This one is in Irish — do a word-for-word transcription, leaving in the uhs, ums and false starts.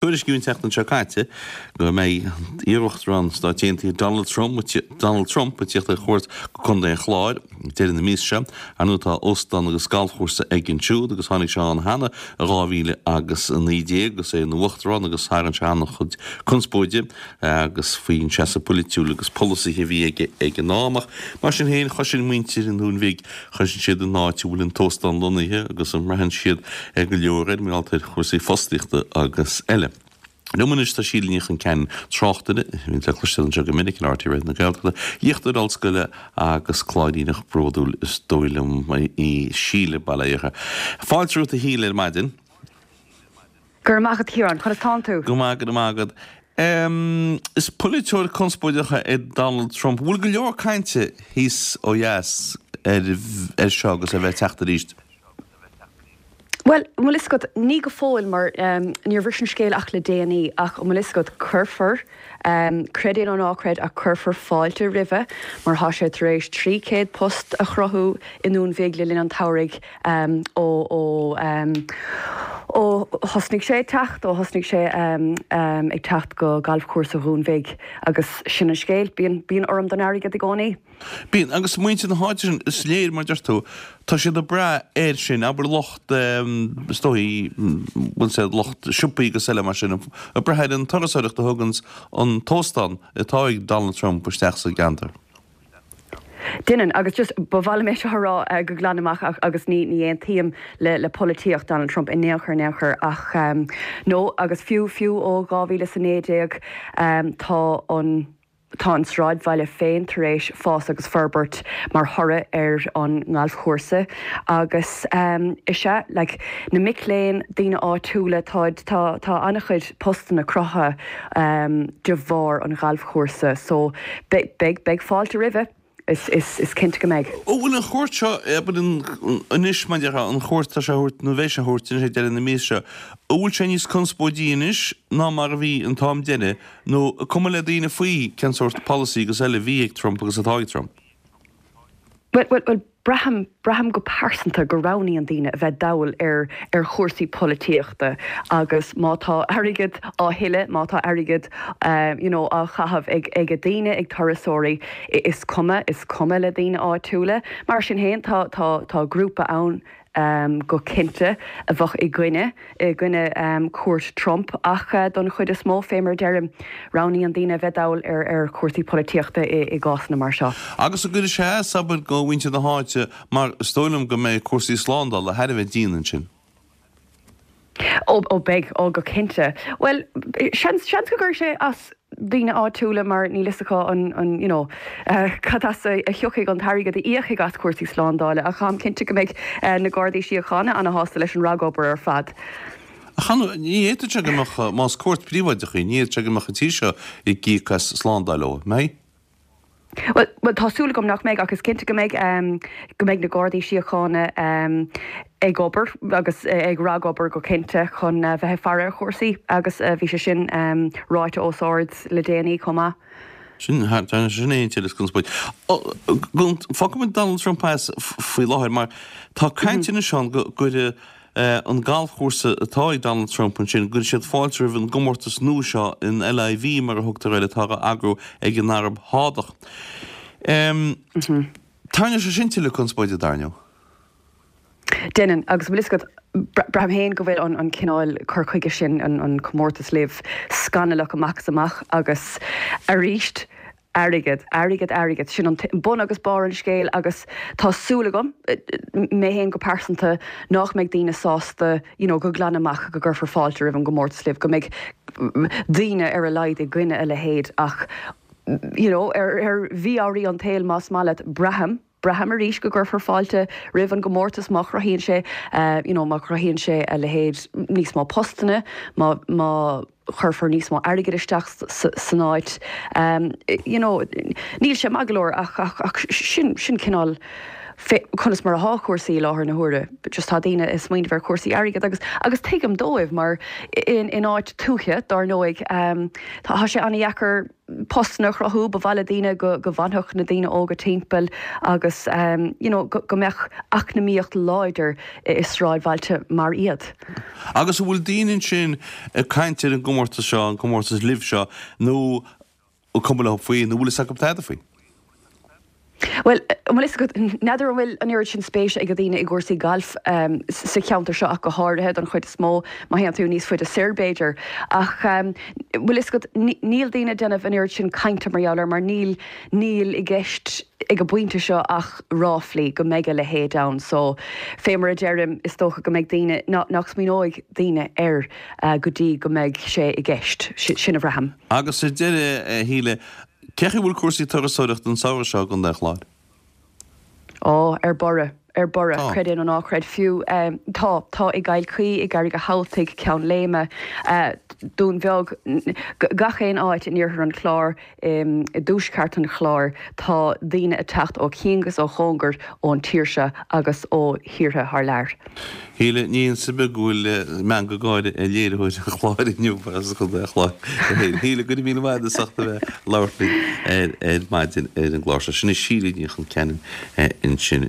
Tuairiscíodh an tseachtain seo caite go mbeidh iarUachtarán Stáit Aontaithe Donald Trump Donald Trump ag tíocht ar chuairt go Contae an Chláir deireadh na míosa seo. Ar ndóigh tá óstán agus galfchúrsa aige ansiúd agus tháinig sé ann cheana i dhá mhíle agus a naoi déag agus é ina Uachtarán agus tharraing sé an-chuid conspóide agus faoin seasamh polaitiúil agus polasaithe a bhí aige ag an am. Ach mar sin féin chloiseann muintir an Dúin Bhig, chloiseann siad an áit a bhfuil an t-óstán lonnaithe agus an mbraitheann siad go leor air mar gheall ar chúrsaí fostaíochta agus eile. Liom anois tá Síle Ní Chonceanainn, tráchtaire, a bhíonn le cloisteáil anseo go minic ar R T Raidió na Gaeltachta, léachtóir ollscoile agus Cláiríneach bródúil is dóigh liom í Síle, bail ó Dhia uirthi. Fáilte romhat a Shíle ar maidin. Go raibh maith agat Ciarán, conas tánn tú? Go maith, go raibh maith agat. Is polaiteoir conspóideach é Donald Trump. Bhfuil go leor cainte thíos ó dheas ar seo agus é a bheith ag teacht arís? Bhuel, an bhfuil fhios agat, ní go fóill mar níor bhris an scéal ach le déanaí, ach an bhfuil fhios agat, cuirfear, creid é nó ná creid, ach cuirfear fáilte roimhe mar tá sé tar éis trí chéad post a chruthú i nDún Bhig le linn an tsamhraidh ó ó ó thosnaigh sé ag teacht, ó thosnaigh sé ag teacht go galfchúrsa Dhún Bhig agus sin an scéal, bíonn, bíonn urraim don airgead i gcónaí. Bíonn, agus muintir na háite sin, is léir, mar deir tú, tá siad ag brath air sin, abair lucht, is dóigh, bhfuil sé, lucht siopaí agus eile mar sin, ag brath ar an turasóireacht a thuganns an t-óstán atá ag Donald Trump isteach sa gceantar. Déanann, agus just, ba mhaith liom é seo a rá go glan amach agus ní ní aontaím le le polaitíocht Donald Trump in aon chor in aon chor ach no, agus fiú fiú ó dhá mhíle is a naoi déag tá an Tá an sráidbhaile féin tar éis fás agus forbairt mar thoradh ar an ngalfchúrsa agus is ea, like, na mic léinn, daoine áitiúla, tá, tá, tá an-chuid postanna cruthaithe de bharr an ghalfchúrsa so beidh, beidh, beidh fáilte roimhe. Is, is, is cinnte go mbeidh. An bhfuil an chuairt seo, abair, anois, mar a déarfá, an chuairt atá sé a thabhairt, nó a bheidh sé a thabhairt anois ag deireadh na míosa seo, an bhfuil sé níos conspóidí anois ná mar a bhí an t-am deiridh, nó an cuma le daoine faoi cén sórt polasaí agus eile a bhí ag Trump agus atá ag Trump? Bhuel, bhuel, bhuel, Braithim, braithim go pearsanta go roghnaíonn daoine a bheith dall ar ar chúrsaí polaitíochta agus má tá airgead á thuilleadh, má tá airgead you know á chaitheamh ag ag daoine, ag turasóirí, is cuma, is cuma le daoine áitiúla. Mar sin féin tá tá tá grúpa ann go cinnte a bheadh i gcoinne i gcoinne cuairt Trump ach don chuid is mó, fé mar a deirim, roghnaíonn daoine a bheith dall ar ar chúrsaí polaitíochta i i gcásanna mar seo. Agus an gcuirfidh sé as, abair, do mhuintir na háite mar is dóigh liom go mbeidh cúrsaí slándála thar a bheith dian ansin. Ó, ó beidh, ó go cinnte. Bhuel, seans, seans go gcuirfidh sé as daoine áitiúla mar níl fhios acu an, an, you know, cad as a thiocfaidh an t-airgead a íocfaidh as cúrsaí slándála ach táim cinnte go mbeidh na Gardaí Síochána ana-shásta leis an ragobair ar fad. Ach ní fhéadfadh sé go mbeadh, más cuairt phríobháideach í, ní fhéadfadh sé go mbeadh an tír seo ag íoc as slándáil ó, mbeidh? Bhuel, bhuel, tá súil agam nach mbeidh ach is cinnte go mbeidh, go mbeidh na Gardaí Síochána ag obair agus ag ragobair go cinnte chun bheith ag faire ar chúrsaí agus bhí sé sin ráite os ard le déanaí chomh maith. Sin, sin é an tuilleadh conspóid. Fágfaidh muid Donald Trump as faoi láthair mar tá caint anois ann go gcuirfidh an galfchúrsa atá ag Donald Trump ansin, go gcuirfidh siad fáilte roimh an gcomórtas nua seo, an LIV mar a thugtar air, atá á eagrú ag an Araib Shádach. Tarraingeoidh sé sin tuilleadh conspóide, dar ndóigh. Déanann, agus bhfuil fhios agat, braithim féin go bhfuil an cineál cur chuige sin, an comórtas LIV, scannalach amach is amach agus arís, Airgead, airgead, airgead, sin an bun agus barr an scéil agus tá súil agam, mé féin go pearsanta, nach mbeidh daoine sásta you know go glan amach go gcuirfear fáilte roimh an gcomórtas LIV, go mbeidh daoine ar a laghad i gcoinne a leithéid ach you know ar ar mhí-ámharaí an tsaoil más maith leat, braithim. Braithim arís go gcuirfear fáilte roimh an gcomórtas má chruthaíonn sé you know má chruthaíonn sé a leithéid níos mó postanna, má má chuirfear níos mó airgid isteach san áit. You know níl sé maith go leor ach ach ach sin sin cineál conas mar atá cúrsaí i láthair na huaire. Just tá daoine ag smaoineamh ar chúrsaí airgid agus agus tuigim dóibh mar in in áit tuaithe dar ndóigh um, tá sé an-deacair postanna a chruthú ba mhaith le daoine go go bhfanfadh na daoine óga timpeall agus um, you know, go, go mbeadh eacnamaíocht láidir i sráidbhailte mar iad. Agus an bhfuil daoine ansin ag caint ar an gcomórtas seo an comórtas LIV seo nó cuma leo faoi nó bhfuil a tada faoi. Well bhfuil n'fheadar an bhfuil an oiread sin spéis ag daoine i gcúrsaí gailf um, sa cheantar seo ach go háirithe don chuid is mó má théann tú níos faide soir b'fhéidir ach um, bhfuil níl daoine ag déanamh an oiread sin cainte mar gheall air mar níl níl i gceist ag an bpointe seo ach ráflaí go mbeidh a leithéid ann so fé mar a deirim is dócha go mbeidh daoine nach smaoineoidh daoine air uh, go dtí go mbeidh sé i gceist sin a bhraithim. Agus sa deireadh a Shíle cén chaoi a bhfuil cúrsaí turasóireachta an samhradh seo i gContae an Chláir? Ó ar borradh ar borradh creid é nó ná creid fiú um, tá tá i gCill Chaoi i gCarraig an Chabhaltaigh Ceann Léime uh, Dún Bheag gach aon áit in iarthar an Chláir um, i dtuaisceart an Chláir tá daoine ag teacht ó chian agus ó chóngar ón tír seo agus ó thíortha thar lear. Shíle ní sa be ghfuil me go gáire a léiritheoir an chláir inniu as Contae an Chláir. Shíle go raibh míle maith agat as ucht a bheith ag labhairt linn ar ar maidin ar an gclár seo. Sin í Síle Ní Chonceanainn ansin.